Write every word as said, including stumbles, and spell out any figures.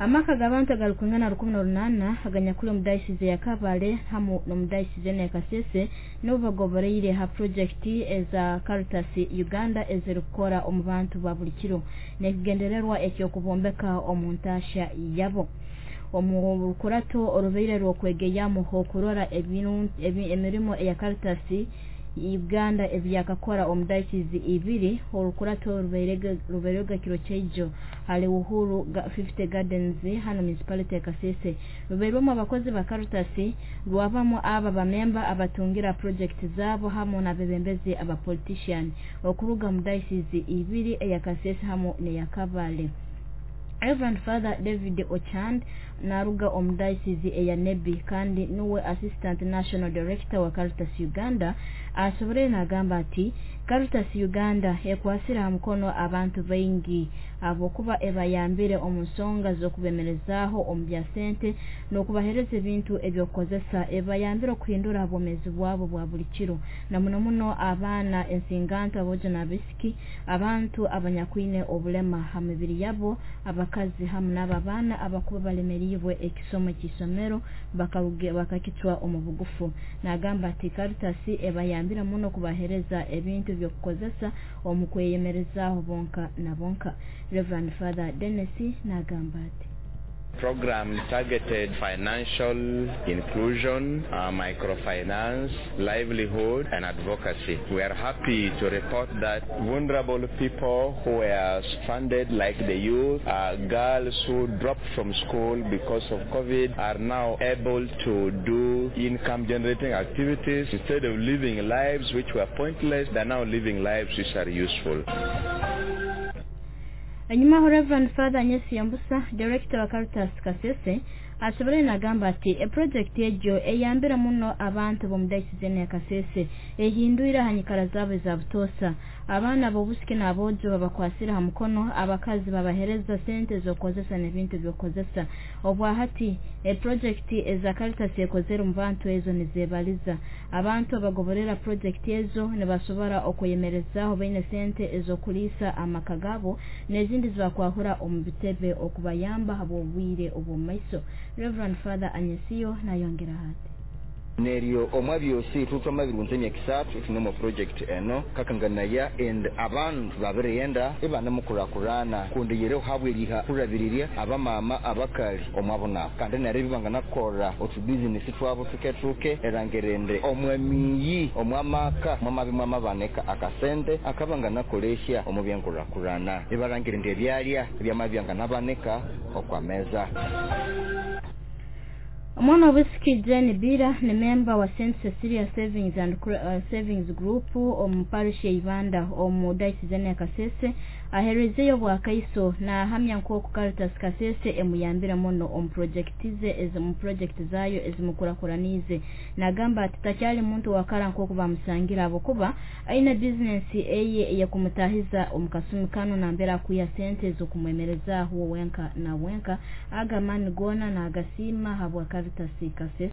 Amaka g'abantu agarikwingana rukumi na runana aganyakuri omu diocese ya Kabale hamu n'omu diocese ya Kasese nibo bagoboreire ha projekiti eza Caritas Uganda ezirikukora omu bantu ba buli kiro n'ekigendererwa eky'okubombeka omu ntaasha yabo. Omu rukurato orubaire rw'okwegeyamu okurora emirimo eya Caritas Uganda ebyakakora omu diocese ibiri, orukurato rubairega kiro kyaijo hali Uhuru fifty Gardens hano municipality ya Kasese, rubairwemu abakozi ba Caritas, rwabamu aba bamemba abatungira project zabo hamu n'abebembezi aba politician okuruga mu diocese ibiri eya Kasese hamu n'eya Kabale. Reverend Father David Ochand naruga omu diocese eya Nebbi kandi nuwe Assistant National Director wa Caritas Uganda, asoborere nagamba ati Caritas Uganda ekwasire ha mukono abantu baingi habwokuba ebayambire omu nsonga z'okubemerezaaho omu bya sente n'okubahereza ebintu ebyokukozesa, ebayambire okuhindura obwomeezi bwabo bwa buli kiro, na muno muno abaana ensinganto, aboojo n'abaisiki, abantu abanyakwine obulema ha mibiri yabo, abakazi hamu n'abo abaana abakuba balemeriibwe ekisomo ky'isomero bakakicwa omu bugufu. Nagamba ati Caritas ebayambire muno kubahereza ebintu by'okukozesa omu kweyemerezaaho bonka na bonka. Reverend Father Dennis nagamba ati Program targeted financial inclusion, uh, microfinance, livelihood, and advocacy. We are happy to report that vulnerable people who were stranded, like the youth, uh, girls who dropped from school because of COVID, are now able to do income-generating activities. Instead of living lives which were pointless, they are now living lives which are useful. Enyuma, Reverend Father Nyesi Yambusa, Director wa Caritas Kasese, asobolere nagamba ati eproject egyo eyambira muno abantu b'omu diocese ya Kasese, ehindwire aha nyikara zaabo eza butoosa. Abaana b'obusiki n'aboojo babakwasire ha mukono, abakazi babahereza sente z'okukozesa n'ebintu by'okukozesa. Obwahati eproject eza Caritas ekozere omu bantu ezo nizebaliza. Abantu abagoborera project ezo nibasobora okweyemerezaaho baine sente ez'okuliisa amaka gaabo n'ezindi zibakwahura omu bitebe okubayamba habw'obwire obw'omu maiso. Reverend Father Anyesiyo nayongera ati neryo omwa byosi tutwama birunze emyaka isatu tunemo project eno kakanganaya and abantu babiriyenda ibanamukurakurana kundi yere habweriha kurabiriria abamama abakali omwabona kandi neryo bibanganakorra otubizinesi twabo tuketuke erangerende omwamiyi omwamaka mwamabi mwamabaneka akasente akabanganakolesya omu byenkurakurana ibarangirende ebyalya ebyamabyanganaboneka okwameza. Omwana w'obwisiki Jane Bira ni memba wa Saint Cecilia Savings and uh, Savings Group omu parish ya Ibanda omu diocese ya Kasese, aherezeyo bwakaiso nahamya nk'oku Caritas Kasese emuyambira muno omu project ze ezi mu project zayo ezimukurakuranize. Nagamba ati takyali muntu wakara nk'oku bamusangira abokuba aine business eye eyakumutahiza omu kasumi kano nambera akuya sente z'okumwemerezaaho wenka na wenka. Aga mani gona nagasiima habwa Caritas Kasese.